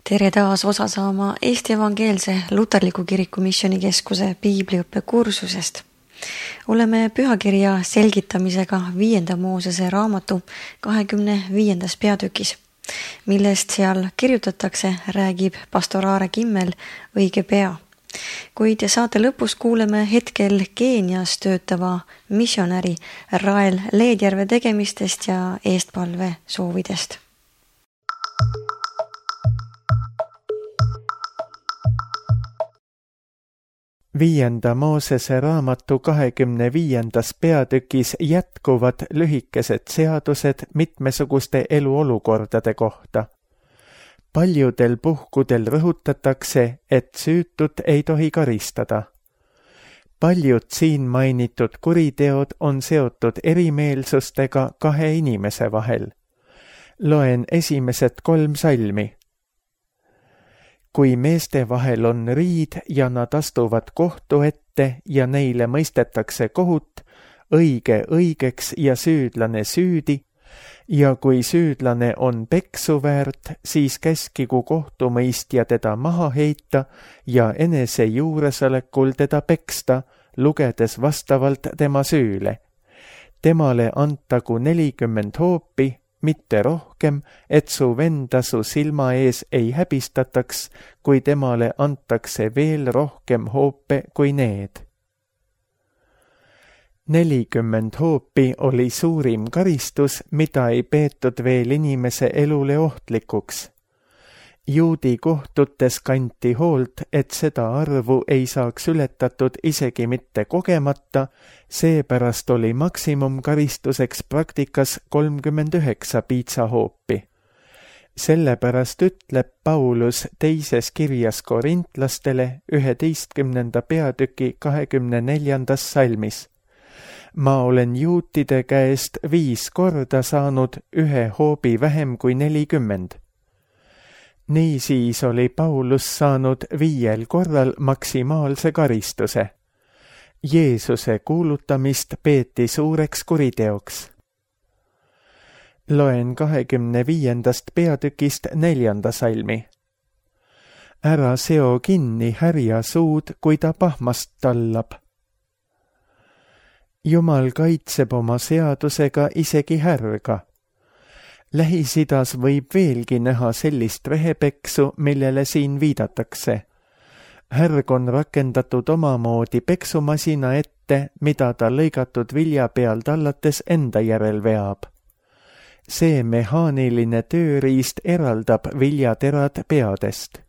Tere taas osa saama Eesti Evangeelse Luterliku Kiriku Missioonikeskuse piibliõppe kursusest. Oleme pühakirja selgitamisega 5. Moosese raamatu 25. peatükis, millest seal kirjutatakse, räägib pastor Aare Kimmel õige pea. Kuid saate lõpus kuuleme hetkel Keenias töötava missionäri Rael Leedjärve tegemistest ja eestpalve soovidest. Viienda Moosese raamatu 25. peatükis jätkuvad lühikesed seadused mitmesuguste eluolukordade kohta. Paljudel puhkudel rõhutatakse, et süütut ei tohi karistada. Paljud siin mainitud kuriteod on seotud erimeelsustega kahe inimese vahel. Loen esimesed 3 salmi. Kui meeste vahel on riid ja nad astuvad kohtu ette ja neile mõistetakse kohut, õige õigeks ja süüdlane süüdi, ja kui süüdlane on peksu väärt, siis käskigu kohtumõistja teda maha heita ja enese juuresolekul teda peksta, lugedes vastavalt tema süüle. Temale antagu 40 hoopi, mitte rohkem, et su venda su silma ees ei häbistataks, kui temale antakse veel rohkem hoope kui need. 40 hoopi oli suurim karistus, mida ei peetud veel inimese elule ohtlikuks. Juudi kohtutes kanti hoolt, et seda arvu ei saaks ületatud isegi mitte kogemata, seepärast oli maksimumkaristuseks praktikas 39 piitsahoopi. Sellepärast ütleb Paulus teises kirjas korintlastele 11. peatüki 24. salmis. Ma olen juutide käest 5 korda saanud 1 hoobi vähem kui 40. Niisiis oli Paulus saanud 5 korral maksimaalse karistuse. Jeesuse kuulutamist peeti suureks kuriteoks. Loen 25. peatükist 4. salmi. Ära seo kinni härja suud, kui ta pahmast tallab. Jumal kaitseb oma seadusega isegi härga. Lähis-Idas võib veelgi näha sellist rehepeksu, millele siin viidatakse. Härg on rakendatud omamoodi peksumasina ette, mida ta lõigatud vilja peal tallates enda järel veab. See mehaaniline tööriist eraldab viljaterad peadest.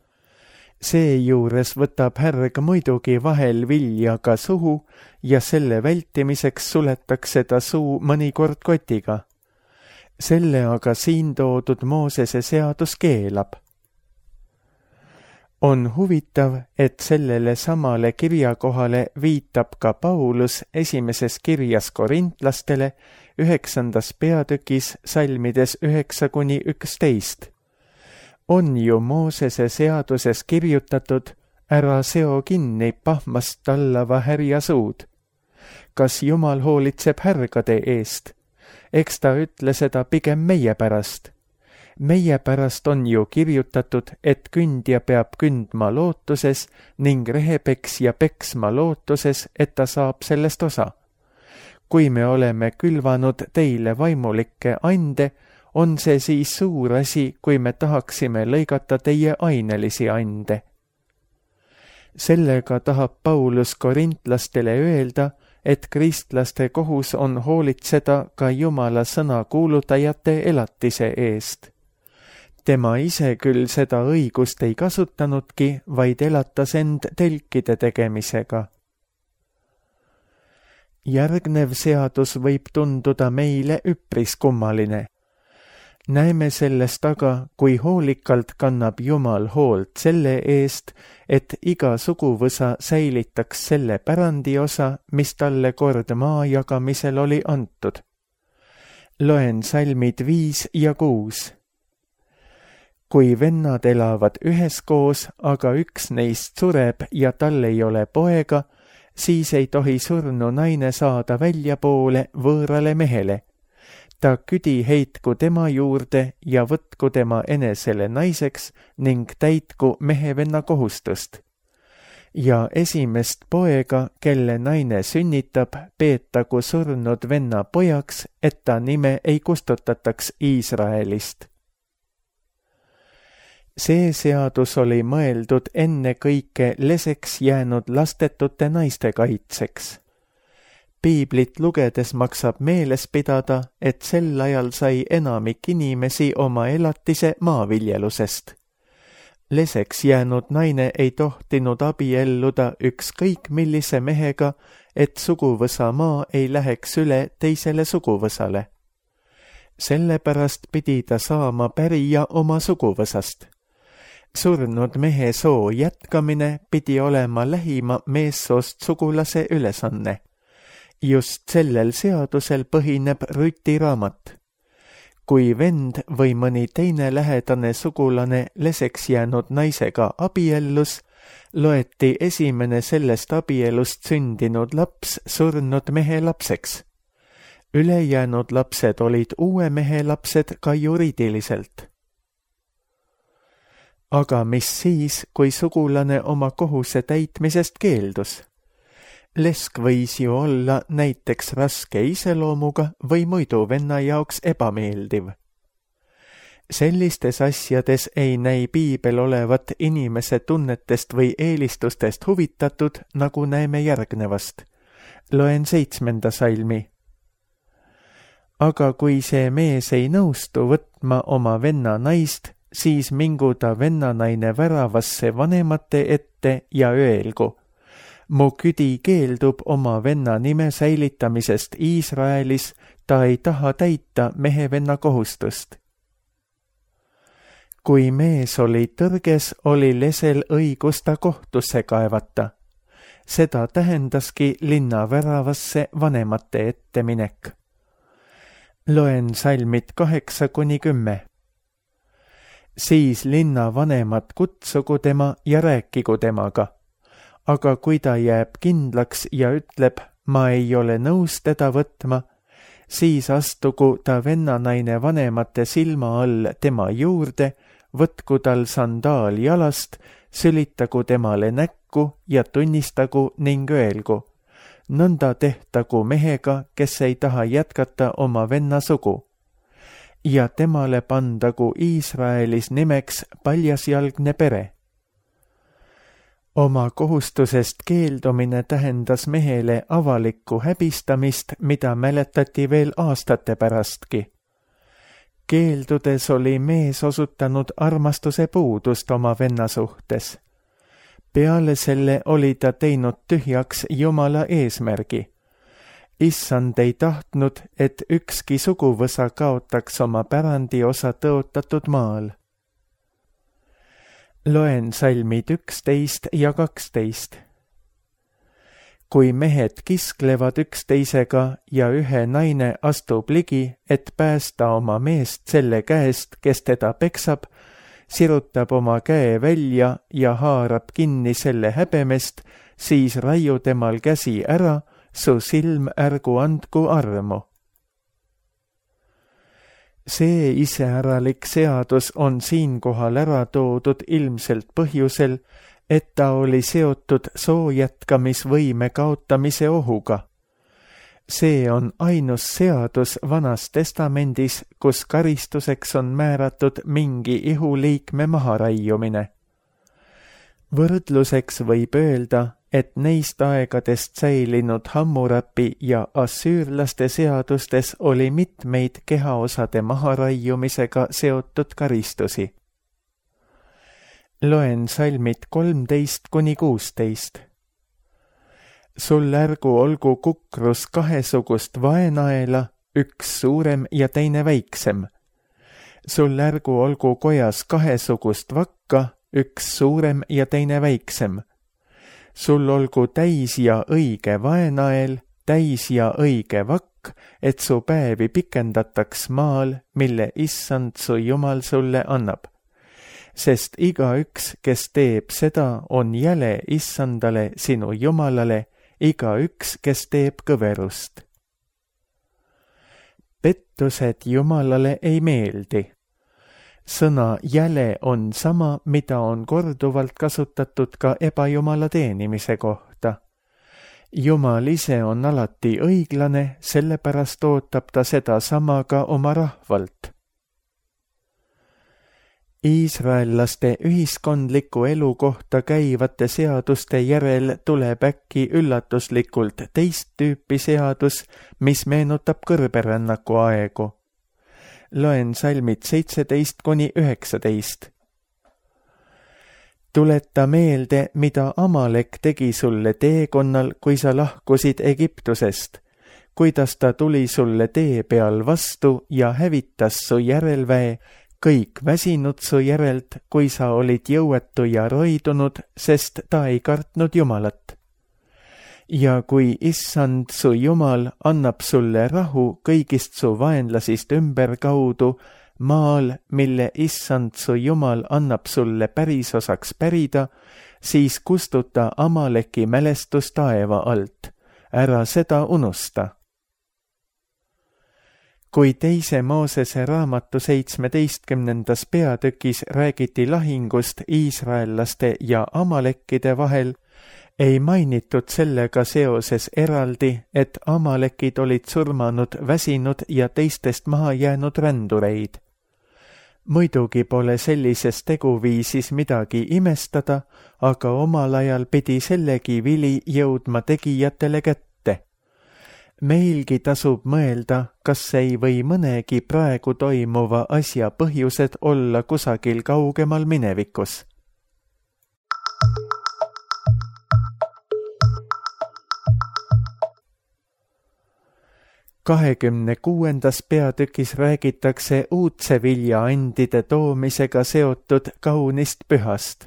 Seejuures võtab härg muidugi vahel vilja ka suhu ja selle vältimiseks suletakse ta suu mõnikord kotiga. Selle aga siin toodud Moosese seadus keelab. On huvitav, et sellele samale kirjakohale viitab ka Paulus esimeses kirjas korintlastele 9. peatükis salmides 9-11. On ju Moosese seaduses kirjutatud, ära seo kinni pahmast tallava härja suud. Kas Jumal hoolitseb härgade eest? Eks ta ütle seda pigem meie pärast. Meie pärast on ju kirjutatud, et kündja peab kündma lootuses ning rehepeksja peksma lootuses, et ta saab sellest osa. Kui me oleme külvanud teile vaimulikke ande, on see siis suur asi, kui me tahaksime lõigata teie ainelisi ande. Sellega tahab Paulus korintlastele öelda, et kristlaste kohus on hoolitseda ka Jumala sõna kuulutajate elatise eest. Tema ise küll seda õigust ei kasutanudki, vaid elatas end telkide tegemisega. Järgnev seadus võib tunduda meile üpris kummaline. Näeme sellest aga, kui hoolikalt kannab Jumal hoolt selle eest, et iga suguvõsa säilitaks selle pärandiosa, mis talle kord maa jagamisel oli antud. Loen salmid 5 ja 6. Kui vennad elavad üheskoos, aga üks neist sureb ja tal ei ole poega, siis ei tohi surnu naine saada väljapoole võõrale mehele. ta küdi heitku tema juurde ja võtku tema enesele naiseks ning täitku mehe-venna kohustust. Ja esimest poega, kelle naine sünnitab, peetagu surnud venna pojaks, et ta nime ei kustutataks Iisraelist. See seadus oli mõeldud ennekõike leseks jäänud lastetute naiste kaitseks. Piiblit lugedes maksab meeles pidada, et sel ajal sai enamik inimesi oma elatise maaviljelusest. Leseks jäänud naine ei tohtinud abielluda ükskõik millise mehega, et suguvõsa maa ei läheks üle teisele suguvõsale. Sellepärast pidi ta saama pärija oma suguvõsast. Surnud mehe soo jätkamine pidi olema lähima meessoost sugulase ülesanne. Just sellel seadusel põhineb Rüti raamat. Kui vend või mõni teine lähedane sugulane leseks jäänud naisega abiellus, loeti esimene sellest abielust sündinud laps surnud mehe lapseks. Ülejäänud lapsed olid uue mehe lapsed ka juriidiliselt. Aga mis siis, kui sugulane oma kohuse täitmisest keeldus? Lesk võis ju olla näiteks raske iseloomuga või muidu venna jaoks ebameeldiv. Sellistes asjades ei näi piibel olevat inimese tunnetest või eelistustest huvitatud, nagu näeme järgnevast. Loen 7. salmi. Aga kui see mees ei nõustu võtma oma venna naist, siis mingu ta vennanaine väravasse vanemate ette ja öelgu: mu küdi keeldub oma venna nime säilitamisest Iisraelis, ta ei taha täita mehe-venna kohustust. Kui mees oli tõrges, oli lesel õigus ta kohtusse kaevata. Seda tähendaski linna väravasse vanemate ette minek. Loen salmid 8-10. Siis linna vanemad kutsugu tema ja rääkigu temaga. Aga kui ta jääb kindlaks ja ütleb, ma ei ole nõus teda võtma, siis astugu ta vennanaine vanemate silma all tema juurde, võtku tal sandaal jalast, sülitagu temale näkku ja tunnistagu ning öelgu: nõnda tehtagu mehega, kes ei taha jätkata oma venna sugu. Ja temale pandagu Iisraelis nimeks paljasjalgne pere. Oma kohustusest keeldumine tähendas mehele avalikku häbistamist, mida mäletati veel aastate pärastki. Keeldudes oli mees osutanud armastuse puudust oma venna suhtes. Peale selle oli ta teinud tühjaks Jumala eesmärgi. Issand ei tahtnud, et ükski suguvõsa kaotaks oma pärandiosa tõotatud maal. Loen salmid 11 ja 12. Kui mehed kisklevad üksteisega ja ühe naine astub ligi, et päästa oma meest selle käest, kes teda peksab, sirutab oma käe välja ja haarab kinni selle häbemest, siis raiu temal käsi ära, su silm ärgu andku armu. See iseäralik seadus on siinkohal ära toodud ilmselt põhjusel, et ta oli seotud soo jätkamisvõime kaotamise ohuga. See on ainus seadus Vanas Testamendis, kus karistuseks on määratud mingi ihuliikme maharaiumine. Võrdluseks võib öelda, et neist aegadest säilinud Hammurapi ja assüürlaste seadustes oli mitmeid kehaosade maharaiumisega seotud karistusi. Loen salmid 13-16. Sul ärgu olgu kukrus kahesugust vaenaela, üks suurem ja teine väiksem. Sul ärgu olgu kojas kahesugust vakka, üks suurem ja teine väiksem. Sul olgu täis ja õige vaenael, täis ja õige vakk, et su päevi pikendataks maal, mille Issand su Jumal sulle annab. Sest igaüks, kes teeb seda, on jäle Issandale sinu Jumalale, igaüks, kes teeb kõverust. pettused Jumalale ei meeldi. Sõna jäle on sama, mida on korduvalt kasutatud ka ebajumala teenimise kohta. Jumal ise on alati õiglane, sellepärast ootab ta seda sama ka oma rahvalt. Iisraellaste ühiskondliku elu kohta käivate seaduste järel tuleb äkki üllatuslikult teist tüüpi seadus, mis meenutab kõrberännaku aegu. Loen salmid 17-19. Tuleta meelde, mida Amalek tegi sulle teekonnal, kui sa lahkusid Egiptusest, kuidas ta tuli sulle tee peal vastu ja hävitas su järelväe, kõik väsinud su järelt, kui sa olid jõuetu ja roidunud, sest ta ei kartnud Jumalat. Ja kui Issand su Jumal annab sulle rahu kõigist su vaenlasist ümberkaudu, maal, mille Issand su Jumal annab sulle pärisosaks pärida, siis kustuta Amaleki mälestus taeva alt. Ära seda unusta. Kui teise Moosese raamatu 17. peatükis räägiti lahingust iisraellaste ja amalekkide vahel, ei mainitud sellega seoses eraldi, et amalekid olid surmanud, väsinud ja teistest maha jäänud rändureid. Muidugi pole sellises teguviisis midagi imestada, aga omal ajal pidi sellegi vili jõudma tegijatele kätte. Meilgi tasub mõelda, kas ei või mõnegi praegu toimuva asja põhjused olla kusagil kaugemal minevikus. Kahekümne 6. peatükis räägitakse uudse viljaandide toomisega seotud kaunist pühast.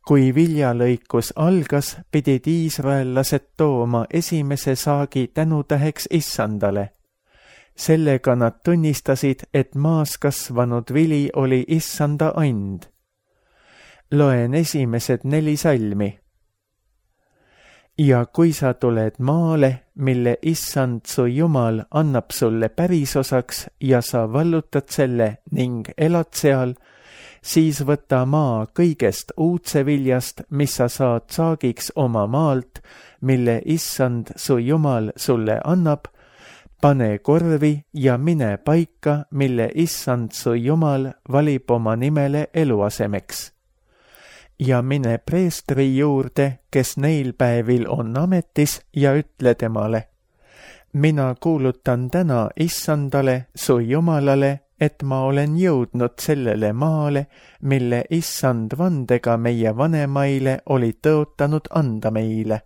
Kui viljalõikus algas, pidid iisraellased tooma esimese saagi tänutäheks Issandale. Sellega nad tunnistasid, et maas kasvanud vili oli Issanda and. Loen esimesed 4 salmi. Ja kui sa tuled maale, mille Issand su Jumal annab sulle pärisosaks ja sa vallutad selle ning elad seal, siis võta maa kõigest uudse viljast, mis sa saad saagiks oma maalt, mille Issand su Jumal sulle annab, pane korvi ja mine paika, mille Issand su Jumal valib oma nimele eluasemeks. Ja mine preestri juurde, kes neil päevil on ametis, ja ütle temale: mina kuulutan täna Issandale, su Jumalale, et ma olen jõudnud sellele maale, mille Issand vandega meie vanemaile oli tõotanud anda meile.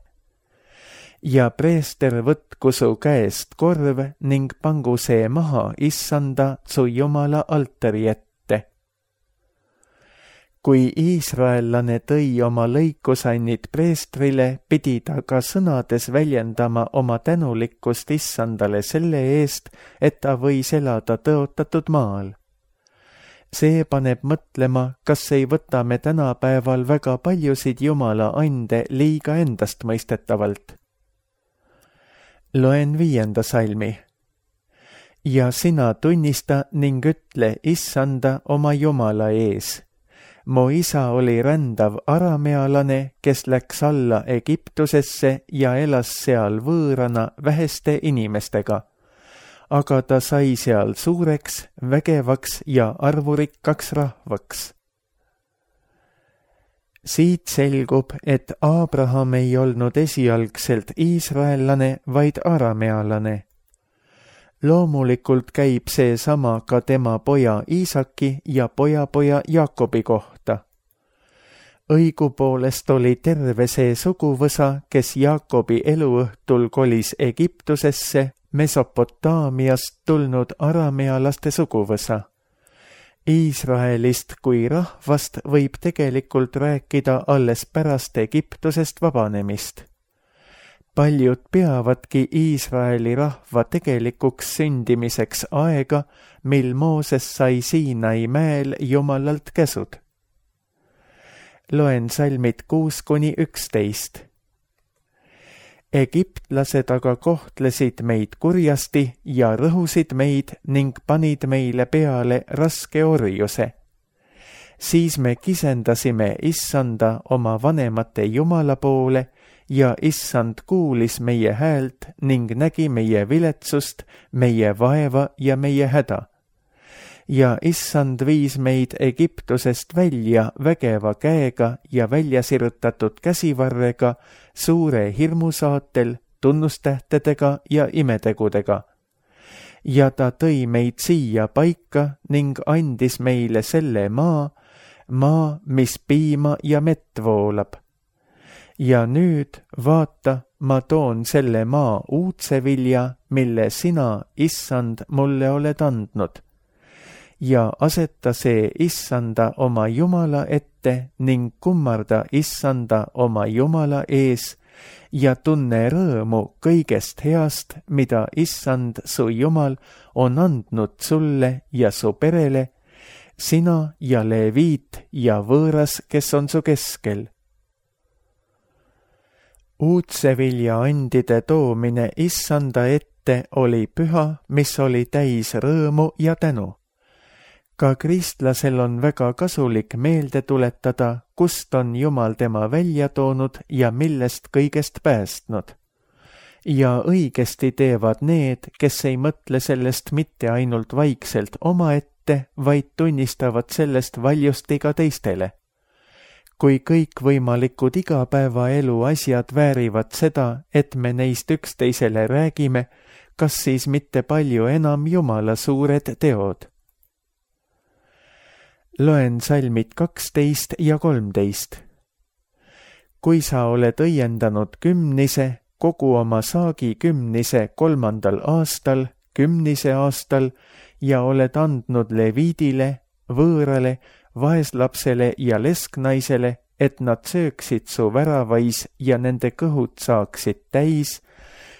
Ja preester võtku su käest korv ning pangu see maha Issanda su Jumala altari ette. Kui iisraellane tõi oma lõikusannid preestrile, pidi ta ka sõnades väljendama oma tänulikkust Issandale selle eest, et ta võis elada tõotatud maal. See paneb mõtlema, kas ei võta me tänapäeval väga paljusid Jumala ande liiga endastmõistetavalt. Loen 5. salmi. Ja sina tunnista ning ütle Issanda oma Jumala ees. Mu isa oli rändav aramealane, kes läks alla Egiptusesse ja elas seal võõrana väheste inimestega. Aga ta sai seal suureks, vägevaks ja arvurikkaks rahvaks. Siit selgub, et Abraham ei olnud esialgselt iisraellane, vaid aramealane. Loomulikult käib see sama ka tema poja Iisaki ja pojapoja Jaakobi kohta. Õigupoolest oli terve see suguvõsa, kes Jaakobi eluõhtul kolis Egiptusesse, Mesopotaamiast tulnud aramealaste suguvõsa. Iisraelist kui rahvast võib tegelikult rääkida alles pärast Egiptusest vabanemist. Paljud peavadki Iisraeli rahva tegelikuks sündimiseks aega, mil Mooses sai Siinai mäel Jumalalt käsud. Loen salmid 6-11. Egiptlased aga kohtlesid meid kurjasti ja rõhusid meid ning panid meile peale raske orjuse. Siis me kisendasime Issanda oma vanemate Jumala poole ja Issand kuulis meie häält ning nägi meie viletsust, meie vaeva ja meie häda. Ja Issand viis meid Egiptusest välja vägeva käega ja väljasirutatud käsivarrega, suure hirmusaatel, tunnustähtedega ja imetegudega. Ja ta tõi meid siia paika ning andis meile selle maa, mis piima ja mett voolab. Ja nüüd, vaata, ma toon selle maa uudse vilja, mille sina, Issand, mulle oled andnud. Ja aseta see Issanda oma Jumala ette ning kummarda Issanda oma Jumala ees ja tunne rõõmu kõigest heast, mida Issand, su Jumal, on andnud sulle ja su perele, sina ja leviit ja võõras, kes on su keskel. Uudsevilja andide toomine Issanda ette oli püha, mis oli täis rõõmu ja tänu. Ka kristlasel on väga kasulik meelde tuletada, kust on Jumal tema välja toonud ja millest kõigest päästnud. Ja õigesti teevad need, kes ei mõtle sellest mitte ainult vaikselt omaette, vaid tunnistavad sellest valjusti ka teistele. Kui kõikvõimalikud igapäevaelu asjad väärivad seda, et me neist üksteisele räägime, kas siis mitte palju enam Jumala suured teod? Loen salmid 12 ja 13. Kui sa oled õiendanud kümnise, kogu oma saagi kümnise 3. aastal, kümnise aastal ja oled andnud leviidile, võõrale, vaeslapsele ja lesknaisele, et nad sööksid su väravais ja nende kõhud saaksid täis,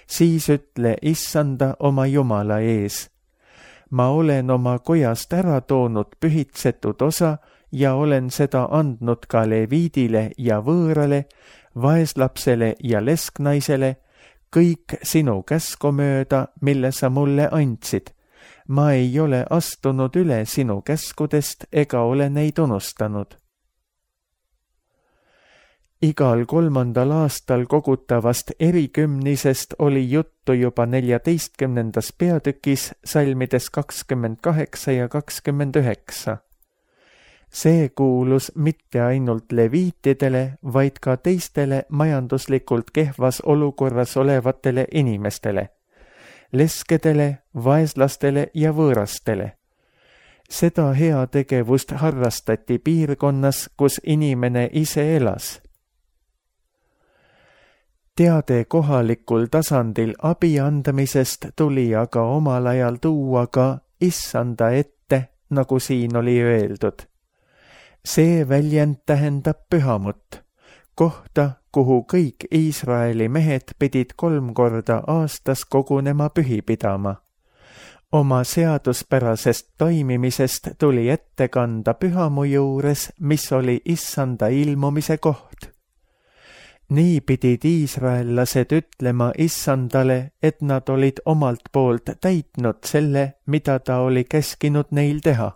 siis ütle Issanda oma Jumala ees. Ma olen oma kojast ära toonud pühitsetud osa ja olen seda andnud ka leviidile ja võõrale, vaeslapsele ja lesknaisele, kõik sinu käsku mööda, mille sa mulle andsid. Ma ei ole astunud üle sinu käskudest ega ole neid unustanud. Igal 3. aastal kogutavast erikümnisest oli juttu juba 14. peatükis salmides 28 ja 29. See kuulus mitte ainult leviitidele, vaid ka teistele majanduslikult kehvas olukorras olevatele inimestele, leskedele, vaeslastele ja võõrastele. Seda heategevust harrastati piirkonnas, kus inimene ise elas. Teade kohalikul tasandil abi andmisest tuli aga omal ajal tuua ka Issanda ette, nagu siin oli öeldud. See väljend tähendab pühamut, kohta, kuhu kõik Iisraeli mehed pidid 3 korda aastas kogunema pühi pidama. Oma seaduspärasest toimimisest tuli ette kanda pühamu juures, mis oli Issanda ilmumise koht. Nii pidid iisraellased ütlema Issandale, et nad olid omalt poolt täitnud selle, mida ta oli käskinud neil teha.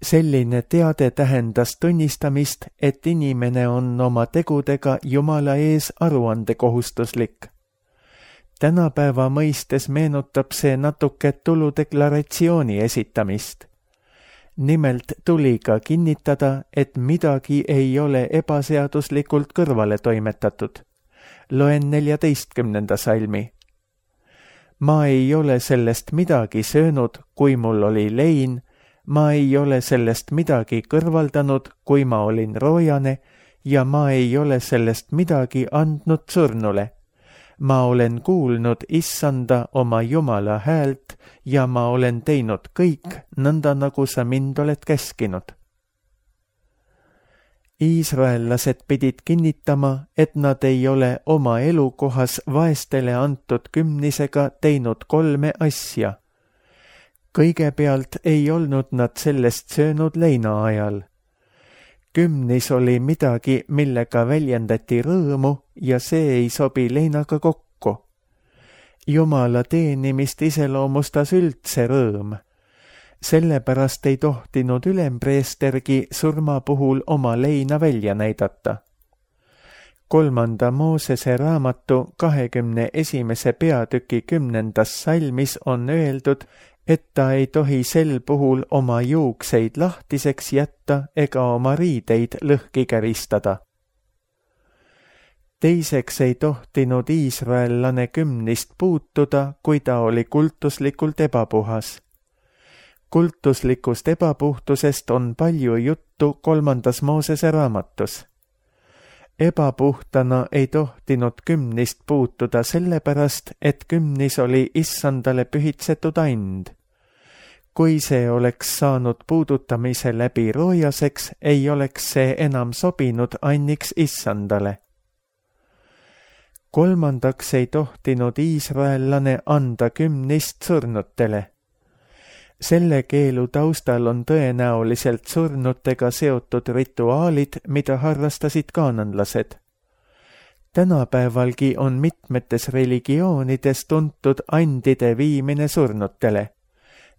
Selline teade tähendas tunnistamist, et inimene on oma tegudega Jumala ees aruandekohustuslik. Tänapäeva mõistes meenutab see natuke tuludeklaratsiooni esitamist. Nimelt tuli ka kinnitada, et midagi ei ole ebaseaduslikult kõrvale toimetatud. Loen 14. salmi. Ma ei ole sellest midagi söönud, kui mul oli lein, ma ei ole sellest midagi kõrvaldanud, kui ma olin roojane, ja ma ei ole sellest midagi andnud surnule. Ma olen kuulnud Issanda oma Jumala häält ja ma olen teinud kõik nõnda, nagu sa mind oled käskinud. Iisraellased pidid kinnitama, et nad ei ole oma elukohas vaestele antud kümnisega teinud 3 asja. Kõigepealt ei olnud nad sellest söönud leina ajal. 10 oli midagi, millega väljendati rõõmu ja see ei sobi leinaga kokku. Jumala teenimist iseloomustas üldse rõõm. Sellepärast ei tohtinud ülempreestergi surma puhul oma leina välja näidata. 3. Moosese raamatu 21. peatüki 10. salmis on öeldud, et ta ei tohi sel puhul oma juukseid lahtiseks jätta ega oma riideid lõhki käristada. Teiseks ei tohtinud iisraellane 10 puutuda, kui ta oli kultuslikult ebapuhas. Kultuslikust ebapuhtusest on palju juttu 3. Moosese raamatus. Ebapuhtana ei tohtinud 10 puutuda sellepärast, et 10 oli issandale pühitsetud and. Kui see oleks saanud puudutamise läbi roojaseks, ei oleks see enam sobinud anniks issandale. 3. ei tohtinud iisraellane anda 10 surnutele. Selle keelu taustal on tõenäoliselt surnutega seotud rituaalid, mida harrastasid kaananlased. Tänapäevalgi on mitmetes religioonides tuntud andide viimine surnutele.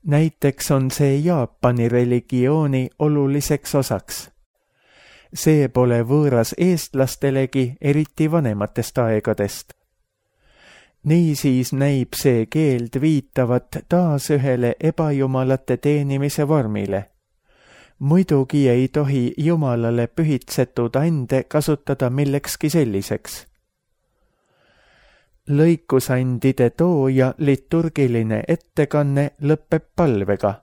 Näiteks on see Jaapani religiooni oluliseks osaks. See pole võõras eestlastelegi, eriti vanematest aegadest. Niisiis näib see keeld viitavat taas ühele ebajumalate teenimise vormile. Muidugi ei tohi Jumalale pühitsetud ande kasutada millekski selliseks. Lõikusandide tooja liturgiline ettekanne lõpeb palvega.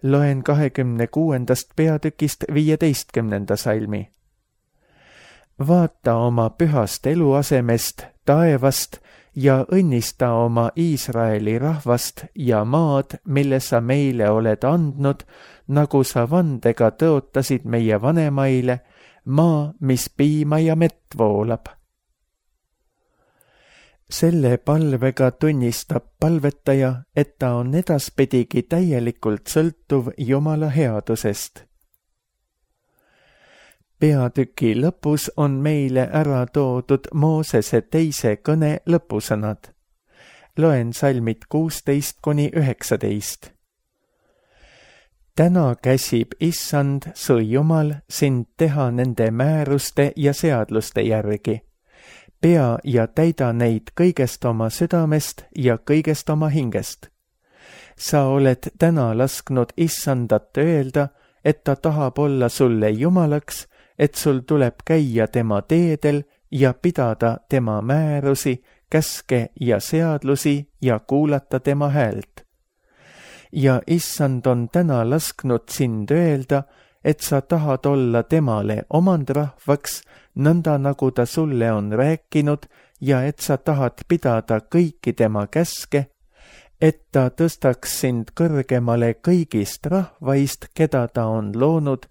Loen 26. peatükist 15. salmi. Vaata oma pühast eluasemest, taevast ja õnnista oma Iisraeli rahvast ja maad, mille sa meile oled andnud, nagu sa vandega tõotasid meie vanemaile, maa, mis piima ja mett voolab. Selle palvega tunnistab palvetaja, et ta on edaspidigi täielikult sõltuv Jumala headusest. Peatüki lõpus on meile ära toodud Moosese teise kõne lõpusõnad. Loen salmid 16-19. Täna käsib Issand, su Jumal, sind teha nende määruste ja seadluste järgi. Pea ja täida neid kõigest oma südamest ja kõigest oma hingest. Sa oled täna lasknud Issandat öelda, et ta tahab olla sulle Jumalaks, et sul tuleb käia tema teedel ja pidada tema määrusi, käske ja seadlusi ja kuulata tema häält. Ja Issand on täna lasknud sind öelda, et sa tahad olla temale omandrahvaks, nõnda nagu ta sulle on rääkinud ja et sa tahad pidada kõiki tema käske, et ta tõstaks sind kõrgemale kõigist rahvaist, keda ta on loonud,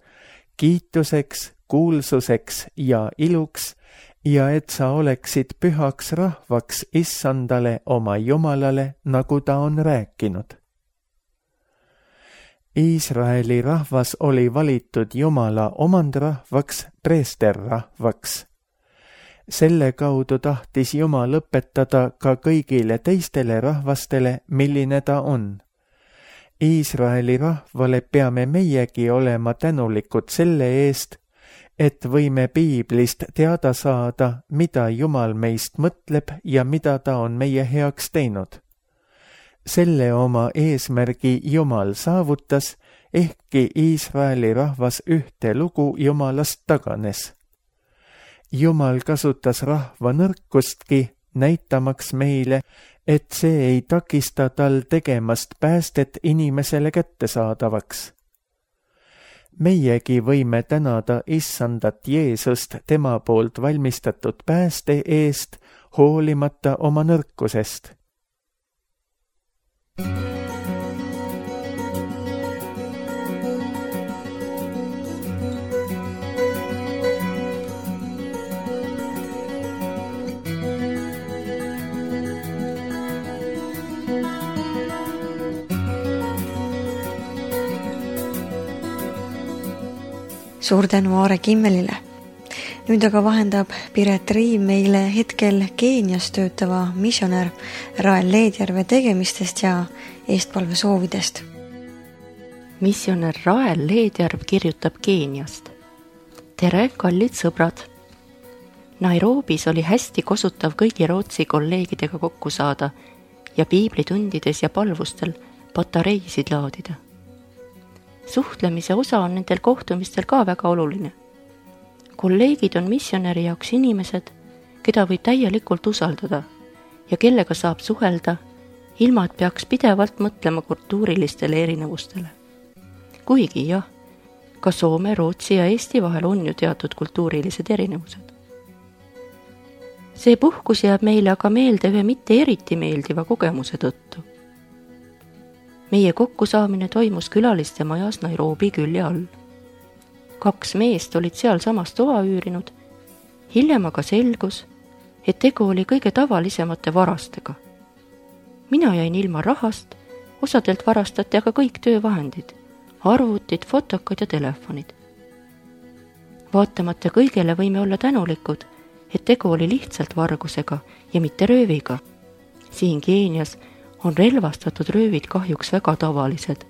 kiituseks, kuulsuseks ja iluks, ja et sa oleksid pühaks rahvaks Issandale oma Jumalale, nagu ta on rääkinud. Iisraeli rahvas oli valitud Jumala omandrahvaks, preesterrahvaks. Selle kaudu tahtis Jumal õpetada ka kõigile teistele rahvastele, milline ta on. Iisraeli rahvale peame meiegi olema tänulikud selle eest, et võime piiblist teada saada, mida Jumal meist mõtleb ja mida ta on meie heaks teinud. Selle oma eesmärgi Jumal saavutas, ehkki Iisraeli rahvas ühte lugu Jumalast taganes. Jumal kasutas rahva nõrkustki, näitamaks meile, et see ei takista tal tegemast päästet inimesele kättesaadavaks. Meiegi võime tänada Issandat Jeesust tema poolt valmistatud pääste eest, hoolimata oma nõrkusest. suur tänu Aare Kimmelile. Nüüd aga vahendab Piret Riim meile hetkel Keenias töötava missionär Rael Leedjärve tegemistest ja eestpalve soovidest. Missionär Rael Leedjärv kirjutab Keeniast. Tere, kallid sõbrad! Nairobis oli hästi kosutav kõigi Rootsi kolleegidega kokku saada ja piiblitundides ja palvustel patareisid laadida. Suhtlemise osa on nendel kohtumistel ka väga oluline. Kolleegid on missionäri jaoks inimesed, keda võib täielikult usaldada ja kellega saab suhelda, ilma et peaks pidevalt mõtlema kultuurilistele erinevustele. Kuigi jah, ka Soome, Rootsi ja Eesti vahel on ju teatud kultuurilised erinevused. See puhkus jääb meile aga meelde ühe mitte eriti meeldiva kogemuse tõttu. Meie kokkusaamine toimus külaliste majas Nairobi külje all. 2 meest olid seal samas toa üürinud, hiljem aga selgus, et tegu oli kõige tavalisemate varastega. Mina jäin ilma rahast, osadelt varastati aga kõik töövahendid, arvutid, fotokad ja telefonid. Vaatamata kõigele võime olla tänulikud, et tegu oli lihtsalt vargusega ja mitte rööviga. Siin Keenias on relvastatud röövid kahjuks väga tavalised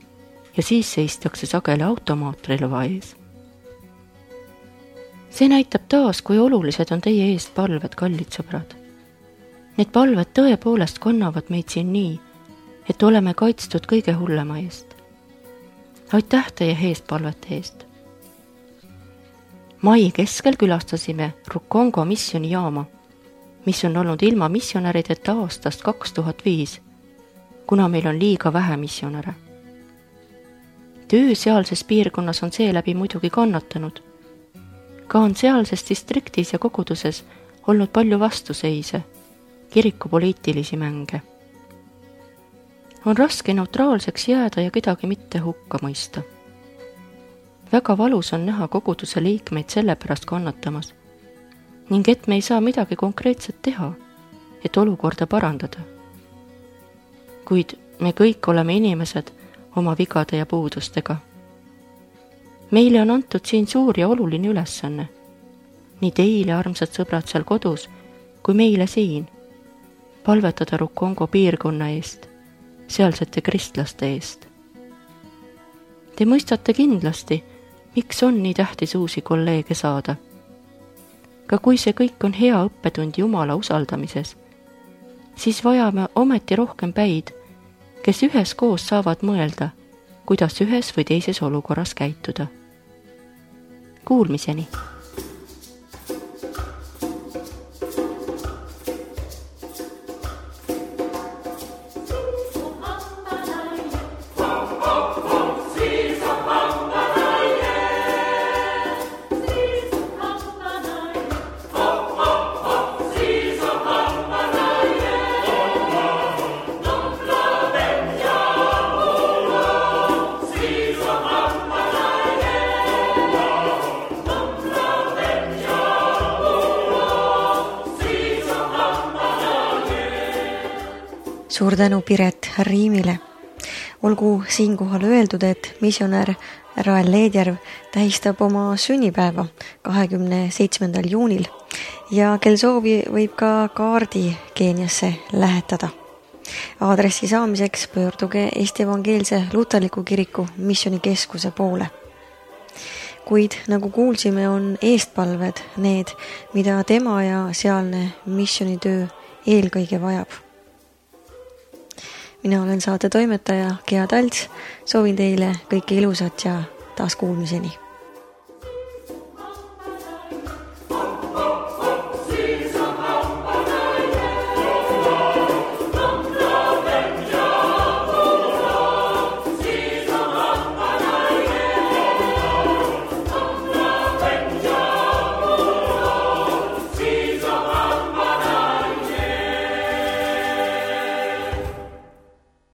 ja siis seistakse sageli automaatrelva ees. See näitab taas, kui olulised on teie eest palved, kallid sõbrad. Need palved tõepoolest kannavad meid siin nii, et oleme kaitstud kõige hullema eest. Aitäh teie eestpalvete eest! Mai keskel külastasime Rukongo missionijaama, mis on olnud ilma missionärideta aastast 2005, kuna meil on liiga vähe missionäre. Töö sealses piirkonnas on seeläbi muidugi kannatanud. Ka on sealses distriktis ja koguduses olnud palju vastuseise, kirikupoliitilisi mänge. On raske neutraalseks jääda ja kedagi mitte hukka mõista. Väga valus on näha koguduse liikmeid selle pärast kannatamas ning et me ei saa midagi konkreetset teha, et olukorda parandada. Kuid me kõik oleme inimesed oma vigade ja puudustega. Meile on antud siin suur ja oluline ülesanne. Nii teile, armsad sõbrad seal kodus, kui meile siin. Palvetada Rukongo piirkonna eest, sealsete kristlaste eest. Te mõistate kindlasti, miks on nii tähtis uusi kolleege saada. Ka kui see kõik on hea õppetund Jumala usaldamises, siis vajame ometi rohkem päid, kes üheskoos saavad mõelda, kuidas ühes või teises olukorras käituda. Kuulmiseni! Suur tänu Piret Riimile. Olgu siinkohal öeldud, et missionär Rael Leedjärv tähistab oma sünnipäeva 27. juunil ja kel soovi võib ka kaardi Keeniasse lähetada. Aadressi saamiseks pöörduge Eesti Evangeelse Luterliku Kiriku missioonikeskuse poole. Kuid nagu kuulsime, on eestpalved need, mida tema ja sealne missioonitöö eelkõige vajab. Mina olen saate toimetaja Gea Talts, soovin teile kõike ilusat ja taas kuulmiseni.